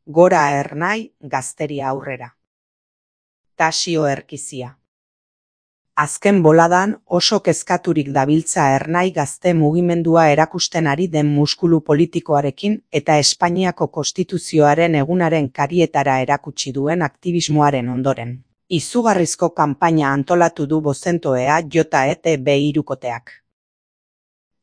Gora Ernai, Gazteria aurrera. Tasio Erkizia. Azken boladan oso kezkaturik dabiltza Ernai gazte mugimendua erakusten ari den muskulu politikoarekin eta Espainiako Konstituzioaren egunaren karietara erakutsi duen aktivismoaren ondoren. Izugarrizko kanpaina antolatu du Bozentoea JETB hirukoteak.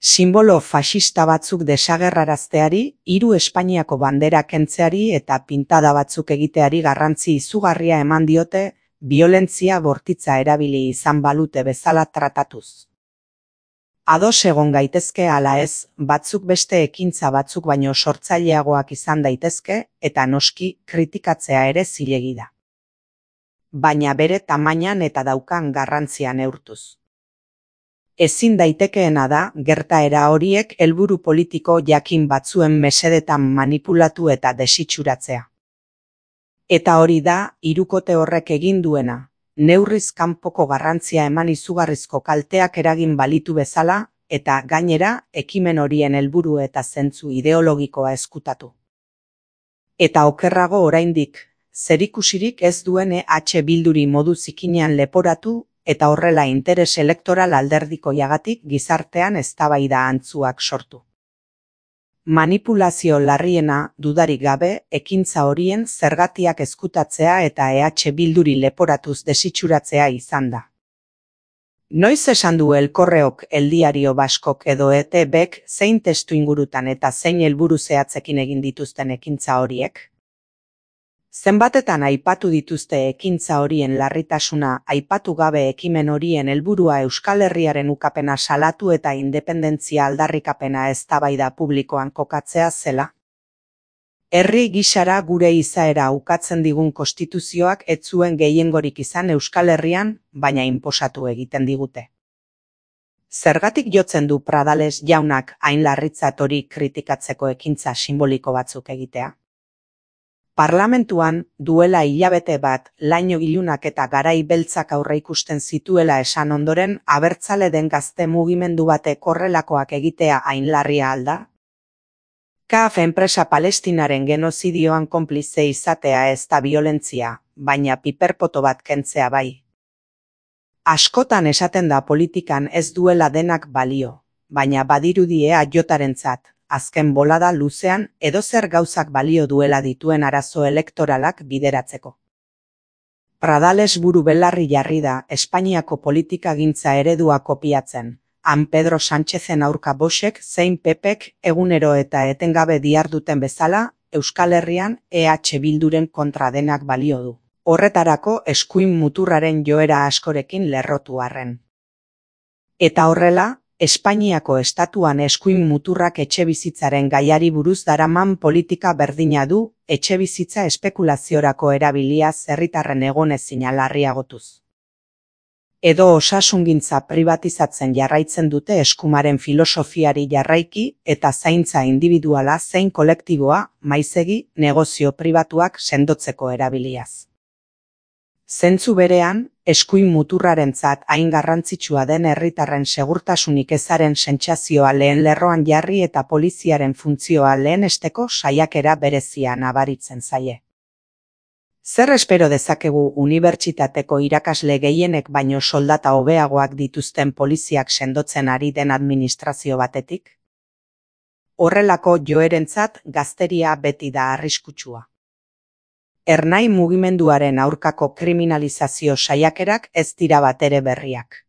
Sinbolo faxista batzuk desagerrarazteari, 3 Espainiako bandera kentzeari eta pintada batzuk egiteari garrantzi izugarria eman diote, biolentzia bortitza erabili izan balute bezala tratatuz. Ados egon gaitezke ala ez, batzuk beste ekintza batzuk baino sortzaileagoak izan daitezke, eta noski kritikatzea ere zilegi da. Baina bere tamainan eta daukan garrantzia neurtuz. Ezin daitekeena da, gertaera horiek helburu politiko jakin batzuen mesedetan manipulatu eta desitxuratzea. Eta hori da, hirukote horrek egin duena, neurriz kanpoko garrantzia eman izugarrizko kalteak eragin balitu bezala, eta gainera, ekimen horien helburu eta zentzu ideologikoa ezkutatu. Eta okerrago oraindik, zerikusirik ez duen Bilduri modu zikinean leporatu, eta horrela interes elektoral alderdikoiagatik gizartean eztabaida antzuak sortu. Manipulazio larriena, dudarik gabe, ekintza horien zergatiak ezkutatzea eta Bilduri leporatuz desitxuratzea izan da. Noiz esan du El Correok, El Diario Baskok edo ETBek zein testu ingurutan eta zein helburu zehatzekin egin dituzten ekintza horiek? Zenbatetan aipatu dituzte ekintza horien larritasuna, aipatu gabe ekimen horien helburua Euskal Herriaren ukapena salatu eta independentzia aldarrikapena eztabaida publikoan kokatzea zela? Herri gisara gure izaera ukatzen digun konstituzioak ez zuen gehiengorik izan Euskal Herrian, baina inposatu egiten digute. Zergatik jotzen du Pradales jaunak hain larritzat hori kritikatzeko ekintza simboliko batzuk egitea? Parlamentuan, duela hilabete bat, laino ilunak eta garai beltzak aurreikusten zituela esan ondoren, abertzale den gazte mugimendu batek horrelakoak egitea hain larria alda? CAF enpresa Palestinaren genozidioan konplize izatea ez da biolentzia, baina piperpoto bat kentzea bai. Askotan esaten da politikan ez duela denak balio, baina badirudi JETarentzat. Azken bolada luzean edozer gauzak balio duela dituen arazo elektoralak bideratzeko. Pradales buru belarri jarri da Espainiako politikagintza eredua kopiatzen, han Pedro Sánchezen aurka Voxek zein PPek egunero eta etengabe diharduten bezala, Euskal Herrian Bilduren kontra denak balio du. Horretarako eskuin muturraren joera askorekin lerrotu arren. Eta horrela, Espainiako estatuan eskuin muturrak etxebizitzaren gaiari buruz daraman politika berdina du, etxebizitza espekulaziorako erabiliaz herritarren egonezina larriagotuz. Edo osasungintza pribatizatzen jarraitzen dute eskumaren filosofiari jarraiki eta zaintza individuala zein kolektiboa, maizegi, negozio pribatuak sendotzeko erabiliaz. Zentzu berean, eskuin muturrarentzat hain garrantzitsua den herritarren segurtasunik ezaren sentsazioa lehen lerroan jarri eta poliziaren funtzioa lehenesteko saiakera berezia nabaritzen zaie. Zer espero dezakegu unibertsitateko irakasle gehienek baino soldata hobeagoak dituzten poliziak sendotzen ari den administrazio batetik? Horrelako joerentzat gazteria beti da arriskutsua. Ernai mugimenduaren aurkako kriminalizazio saiakerak ez dira batere berriak.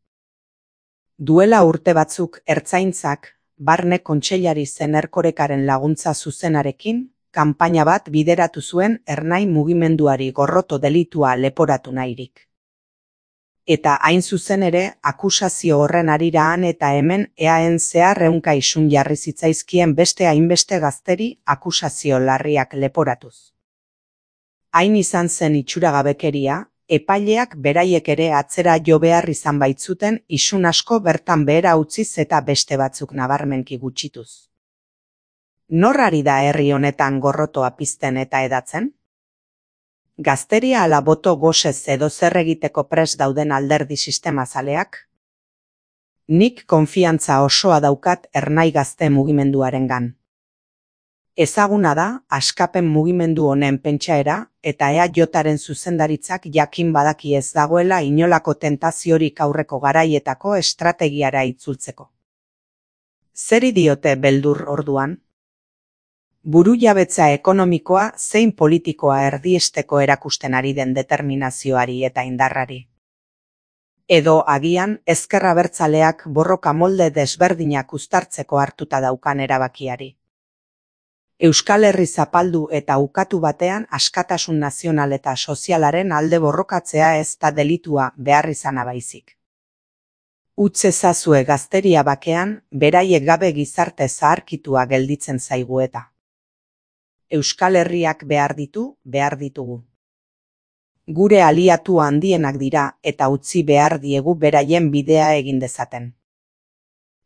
Duela urte batzuk Ertzaintzak, Barne Kontseilari zen Erkorekaren laguntza zuzenarekin, kanpaina bat bideratu zuen Ernai mugimenduari gorroto delitua leporatu nahirik. Eta hain zuzen ere, akusazio horren harira han eta hemen eaen zehar ehunka isun jarri zitzaizkien beste hainbeste gazteri akusazio larriak leporatuz. Hain izan zen itxuragabekeria, epaileak beraiek ere atzera jo behar izan baitzuten isun asko bertan behera utziz eta beste batzuk nabarmenki gutxituz. Nor ari da herri honetan gorrotoa pizten eta edatzen? Gazteria ala boto gosez edo zer egiteko prest dauden alderdi sistemazaleak? Nik konfiantza osoa daukat Ernai gazte mugimenduarengan. Ezaguna da askapen mugimendu honen pentsaera eta EAJaren zuzendaritzak jakin badaki ez dagoela inolako tentaziorik aurreko garaietako estrategiara itzultzeko. Zeri diote beldur orduan? Burujabetza ekonomikoa zein politikoa erdiesteko erakusten ari den determinazioari eta indarrari. Edo agian ezker abertzaleak borroka molde desberdinak uztartzeko hartuta daukan erabakiari. Euskal Herri zapaldu eta ukatu batean askatasun nazional eta sozialaren alde borrokatzea ez da delitua behar izana baizik. Utz ezazue gazteria bakean, beraiek gabe gizarte zaharkitua gelditzen zaigu eta. Euskal Herriak behar ditugu. Gure aliatu handienak dira eta utzi behar diegu beraien bidea egin dezaten.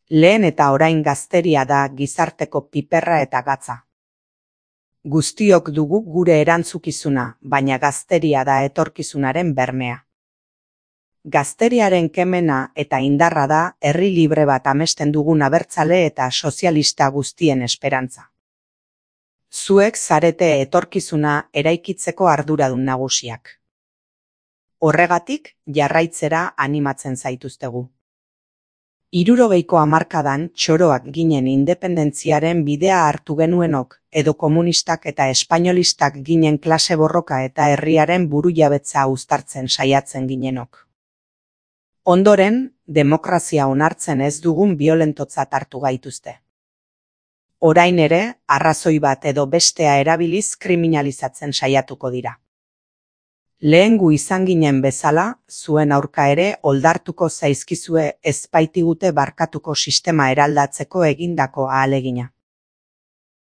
Lehen eta orain gazteria da gizarteko piperra eta gatza. Guztiok dugu gure erantzukizuna, baina gazteria da etorkizunaren bermea. Gazteriaren kemena eta indarra da herri libre bat amesten dugun abertzale eta sozialista guztien esperantza. Zuek zarete etorkizuna eraikitzeko arduradun nagusiak. Horregatik jarraitzera animatzen zaituztegu. 60ko hamarkadan txoroak ginen independentziaren bidea hartu genuenok, edo komunistak eta espainolistak ginen klase borroka eta herriaren burujabetza uztartzen saiatzen ginenok. Ondoren, demokrazia onartzen ez dugun biolentotzat hartu gaituzte. Orain ere, arrazoi bat edo bestea erabiliz kriminalizatzen saiatuko dira. Lehengu izan ginen bezala, zuen aurka ere oldartuko zaizkizue ez baitigute barkatuko sistema eraldatzeko egindako ahalegina.